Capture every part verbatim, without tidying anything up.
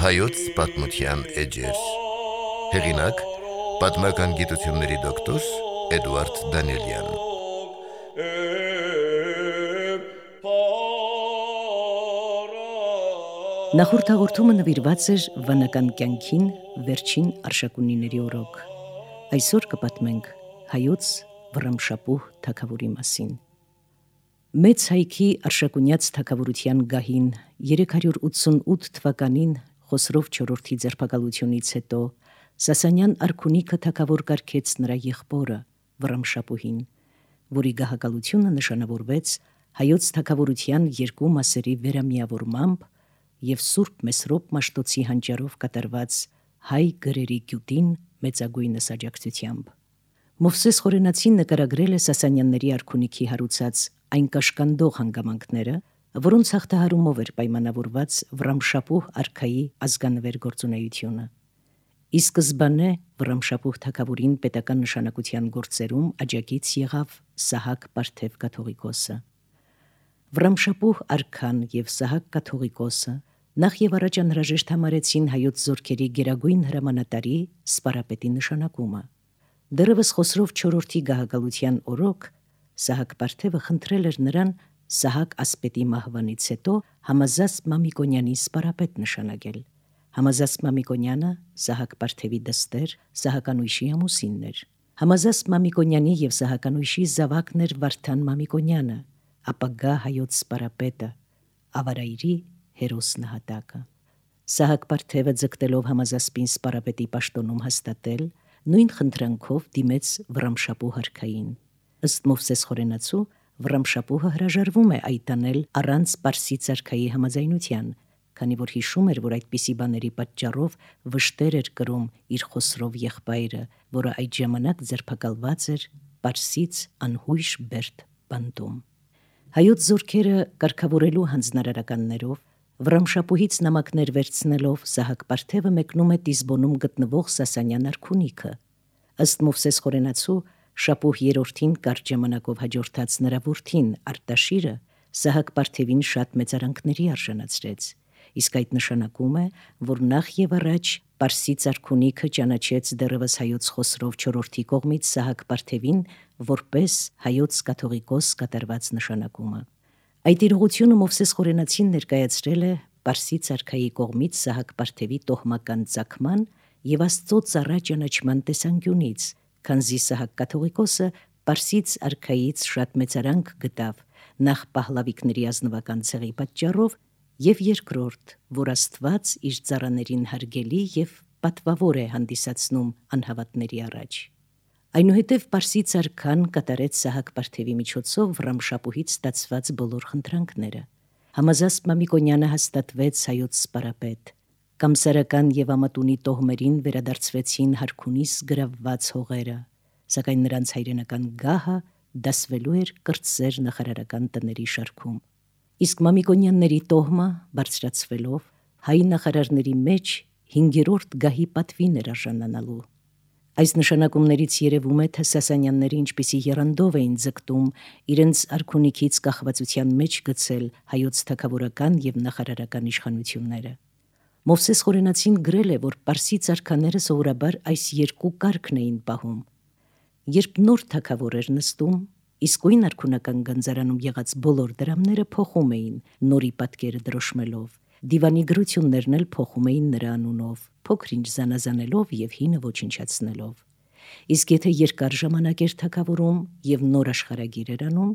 Հայոց պատմության էջեր։ Հեղինակ՝ պատմական գիտությունների դոկտոր Էդուարդ Դանիելյան։ Նախորդ հաղորդումը նվիրված էր վանական կյանքին վերջին արշակունիների օրոք։ Այսօր կպատմենք հայոց Վռամշապուհ թագավորի մասին։ Մեծ հայքի արշակունյաց թագավորության գահին երեք հարյուր ութսունութ թվականին Խոսրով չորրորդի ձերբակալությունից հետո Սասանյան արքունիքը թագավոր կարգեց նրա եղբորը Վռամշապուհին, որի գահակալությունը նշանավորվեց հայոց թագավորության երկու մասերի վերամիավորմամբ և Սուրբ Մեսրոպ Մաշտոցի հանճարով կատարված հայ գրերի գյուտին մեծագույնս աջակցությամբ։ Մովսես Խորենացին նկարագրել է Սասանյանների արքունիքի հարուցած այն կաշկանդող հանգամանքները, որոնց հաղթահարումով էր պայմանավորված Վռամշապուհ արքայի ազգանվեր գործունեությունը։ Ի սկզբանե Վռամշապուհ թագավորին պետական նշանակության գործերում աջակից եղավ Սահակ Պարթև կաթողիկոսը։ Վռամշապուհ արքան և Սահակ կաթողիկոսը նախ և առաջ անհրաժեշտ համարեցին հայոց զորքերի գերագույն հրամանատարի Սպարապետի նշանակումը։ Դեռևս Խոսրով չորրորդի գահակալության օրոք Սահակ Պարթևը խնդրել էր նրան Սահակ ասպետի մահվանից հետո Համազասպ Մամիկոնյանի սպարապետ նշանակել։ Համազասպ Մամիկոնյանը Սահակ Պարթևի դստեր Սահականույշի ամուսինն էր։ Համազասպ Մամիկոնյանի և Սահականույշի զավակն էր Վարդան Մամիկոնյանը, ապագա հայոց սպարապետը, Ավարայրի հերոս նահատակը։ Սահակ Պարթևը ձգտելով Համազասպին սպարապետի պաշտոնում հաստատել, նույն խնդրանքով դիմեց Վռամշապուհ արքային։ Ըստ Մովսես Խորենացու Վռամշապուհը հրաժարվում է այդ անել առանց Պարսից արքայի համաձայնության, քանի որ հիշում էր, որ այդպիսի բաների պատճառով վշտեր էր կրում իր Խոսրով եղբայրը, որը այդ ժամանակ ձերբակալված էր Պարսից անհույժ Բերդ բանտում։ Հայոց զորքերը կարգավորելու հանձնարարականներով Վռամշապուհից նամակներ վերցնելով Սահակ Պարթևը մեկնում է Տիզբոնում գտնվող Սասանյան արքունիքը։ Ըստ Մովսես Խորենացու Շապուհ երրորդին կարճ ժամանակով հաջորդած նրա որդին Արտաշիրը Սահակ Պարթևին շատ մեծարանքների արժանացրեց, իսկ այդ նշանակում է, որ նախ և առաջ Պարսից արքունիքը ճանաչեց դեռևս հայոց Խոսրով չորրորդի կողմից Սահակ Պարթևին որպես հայոց կաթողիկոս կատարված նշանակումը։ Այդ իրողությունը Մովսես Խորենացին ներկայացրել է Պարսից արքայի կողմից Սահակ Պարթևի տոհմական ծագման և Աստծո ծառա ճանաչման տեսանկյունից, քանզի Սահակ կաթողիկոսը Պարսից արքայից շատ մեծարանք գտավ նախ Փահլավիկների ազնվական ցեղի պատճառով և երկրորդ, որ Աստված իր ծառաներին հարգելի և պատվավոր է հանդիսացնում անհավատների առաջ։ Այնուհետև Պարսից արքան կատարեց Սահակ Պարթևի միջոցով Վռամշապուհից ստացված բոլոր խնդրանքները։ Համազասպ Մամիկոնյանը հաստատվեց հայոց սպարապետ։ Կամսարական և Ամատունի տոհմերին վերադարձվեցին հարքունիս գրավված հողերը, սակայն նրանց հայրենական գահը դասվելու էր կրտսեր նախարարական տների շարքում։ Իսկ Մամիկոնյանների տոհմը բարձրացվելով հայ նախարարների մեջ հինգերորդ գահի պատվին էր արժանանալու։ Այս նշանակումներից երևում է, թե Սասանյանները ինչպիսի եռանդով էին ձգտում իրենց արքունիքից կախվածության մեջ գցել հայոց թագավորական և նախարարական իշխանությունները։ Մովսես Խորենացին գրել է, որ Պարսից արքաները սովորաբար այս երկու կարգն էին պահում։ Երբ նոր թագավոր էր նստում, իսկույն արքունական գանձարանում եղած բոլոր դրամները փոխում էին նորի պատկերը դրոշմելով, դիվանի գրություններն էլ փոխում էին նրա անունով, փոքր-ինչ զանազանելով և հինը ոչնչացնելով։ Իսկ եթե երկար ժամանակ էր թագավորում և նոր աշխարհագիր էր անում,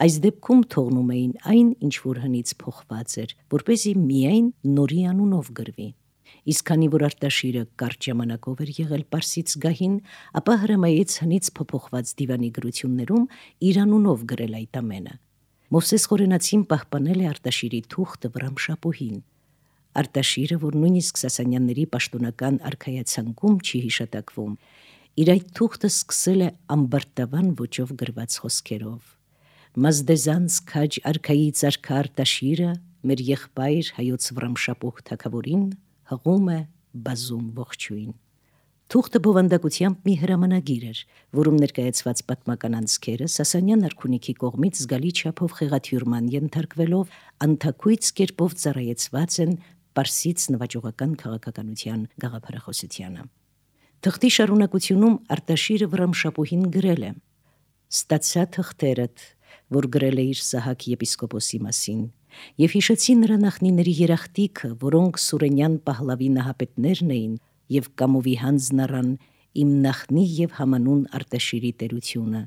այս դեպքում թողնում էին այն, ինչ որ հնից փոխված էր, որպեսզի միայն նորի անունով գրվի։ Իսկ քանի որ Արտաշիրը կարճ ժամանակով էր եղել Պարսից գահին, ապա հրամայեց հնից փոփոխված դիվանի գրություններում իր անունով գրել այդ ամենը։ Մովսես Խորենացին պահպանել է Արտաշիրի թուղթը Վռամշապուհին։ Արտաշիրը, որ նույնիսկ Սասանյանների պաշտոնական արքայացանկում չի հիշատակվում, իր այդ թուղթը սկսել է ամբարտավան ոճով գրված խոսքերով. «Մազդեզանց քաջ արքայից արքա Արտաշիրը մեր եղբայր հայոց Վռամշապուհ թագավորին հղում է բազում ողջույն»։ Թուղթը բովանդակությամբ մի հրամանագիր էր, որում ներկայացված պատմական անցքերը Սասանյան արքունիքի կողմից զգալի չափով խեղաթյուրման ենթարկվելով անթաքույց կերպով ծառայեցված են Պարսից նվաճողական քաղաքականության գաղափարախոսությանը։ Թղթի շարունակությունում Արտաշիրը Վռամշապուհին գրել է. «Ստացա թղթերդ, որ գրել է իր Սահակ եպիսկոպոսի մասին, եւ հիշեցի նրա նախնիների երախտիքը, որոնք Սուրենյան Պահլավի նահապետներն էին, եւ կամովի հանձն առան իմ նախնի եւ համանուն Արտաշիրի տերությունը,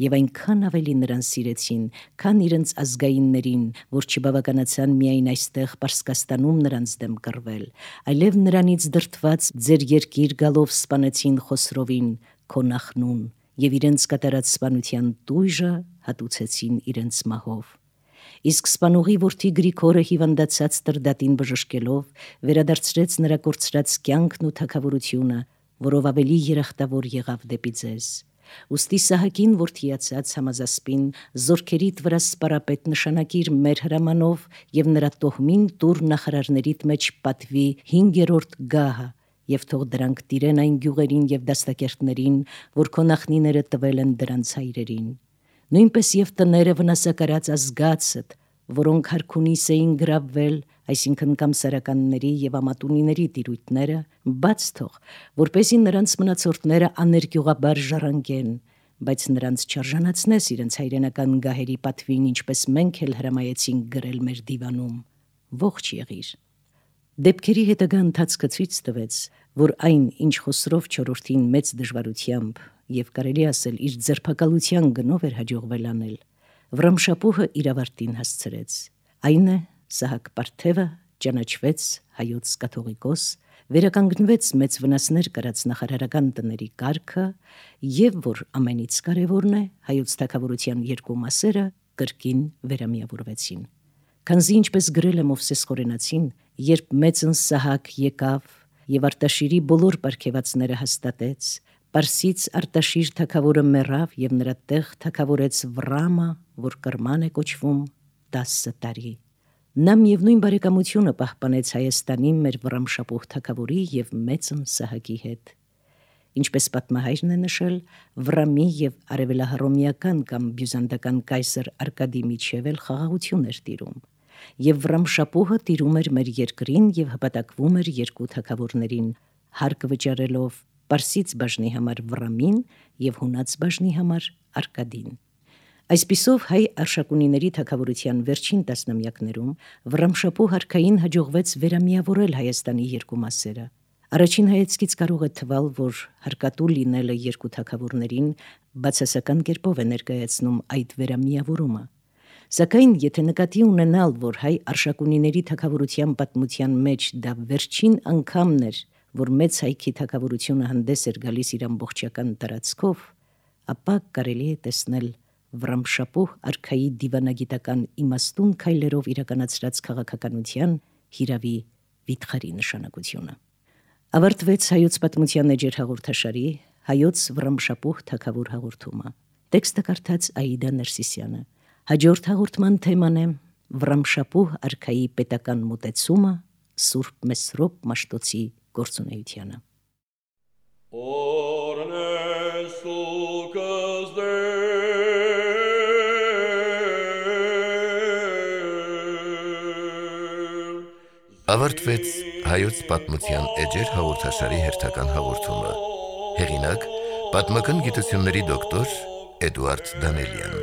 եւ այնքան ավելի նրան սիրեցին, քան իրենց ազգայիններին, որ չբավականացան միայն այստեղ Պարսկաստանում նրանց դեմ կռվել, այլև նրանից դրդված ձեր երկիր գալով սպանեցին Խոսրովին, քո նախնուն, եւ իրենց կատարած սպանության տույժը հատուցեցին իրենց մահով։ Իսկ սպանուղի որդի Գրիգորը հիվանդացած Տրդատին բժշկելով վերադարձրեց նրա կորցրած կյանքն ու թագավորությունը, որով ավելի երախտավոր եղավ դեպի ձեզ։ Ուստի Սահակին որդիացած Համազասպին զորքերիդ վրա սպարապետ նշանակիր մեր հրամանով եւ նրա տոհմին տուր նախարարներիդ մեջ պատվի հինգերորդ գահը եւ թող դրանք տիրեն այն գյուղերին եւ դաստակերտներին, որ քո նախնիները տվել են դրանց հայրերին։ Նույնպես եւ տները վնասակարած ազգացդ, որոնք հարքունիս էին գրավվել, այսինքն կամսարականների եւ ամատունիների տիրույթները, բաց թող, որպեսզի նրանց մնացորդները աներկյուղաբար ժառանգեն, բայց նրանց չարժանացնես իրենց հայրենական գահերի պատվին, ինչպես մենք էլ հրամայեցինք գրել մեր դիվանում։ Ողջ եղիր։ Դեպքերի հետագա ընթացքը ցույց տվեց, որ այն, ինչ Խոսրով չորրորդին մեծ դժվարությամբ եւ կարելի ասել իր ձերբակալության գնով էր հաջողվել անել, Վռամշապուհը իր ավարտին հասցրեց։ Այն է, Սահակ Պարթևը ճանաչվեց հայոց կաթողիկոս, վերականգնվեց մեծ վնասներ կրած նախարարական տների կարգը եւ որ ամենից կարևորն է, հայոց թագավորության երկու մասերը կրկին վերամիավորվեցին։ Քանզի ինչպես գրել է Մովսես Խորենացին, երբ մեծն Սահակ եկավ եւ Արտաշիրի բոլոր պարգևածները հաստատեց, Պարսից Արտաշիր թագավորը մեռավ եւ նրա տեղ թագավորեց Վռամը, որ Կրման է կոչվում, տասը տարի։ Նա միևնույն բարեկամությունը պահպանեց Հայաստանի մեր Վռամշապուհ թագավորի եւ մեծն Սահակի հետ։ Ինչպես պատմահայրն է նշել, Վռամի եւ արևելահռոմեական կամ բյուզանդական կայսր Արկադի միջև էլ խաղաղություն էր տիրում, եւ Վռամշապուհը տիրում էր մեր երկրին եւ հպատակվում էր երկու թագավորներին, հարկ վճարելով Պարսից բաժնի համար Վռամին եւ հունաց բաժնի համար Արկադին։ Այսպիսով հայ արշակունիների թագավորության վերջին տասնամյակներում Վռամշապուհ արքային հաջողվեց վերամիավորել Հայաստանի երկու մասերը։ Առաջին հայացքից կարող է թվալ, որ հարկատու լինելը երկու թագավորներին բացասական կերպով է ներկայացնում այդ վերամիավորումը։ Սակայն եթե նկատի ունենալ, որ հայ արշակունիների թագավորության պատմության մեջ դա վերջին անգամն էր, որ մեծ հայքի թագավորությունը հանդես էր գալիս իր ամբողջական տարածքով, ապա կարելի է տեսնել Վռամշապուհ արքայի դիվանագիտական իմաստուն քայլերով իրականացրած քաղաքականության հիրավի վիթխարի նշանակությունը։ Ավարտվեց հայոց պատմության էջեր հաղորդաշարի հայոց Վռամշապուհ թագավոր հաղորդումը։ Տեքստը կարդաց Աիդա Ներսիսյանը։ Հաջորդ հաղորդման թեման է Վռամշապուհ արքայի պետական մոտեցումը Սուրբ Մեսրոպ Մաշտոցի գործունեությանը։ Ավարտվեց հայոց պատմության էջեր հաղորդաշարի հերթական հաղորդումը։ Հեղինակ՝ պատմական գիտությունների դոկտոր Էդուարդ Դանելյան։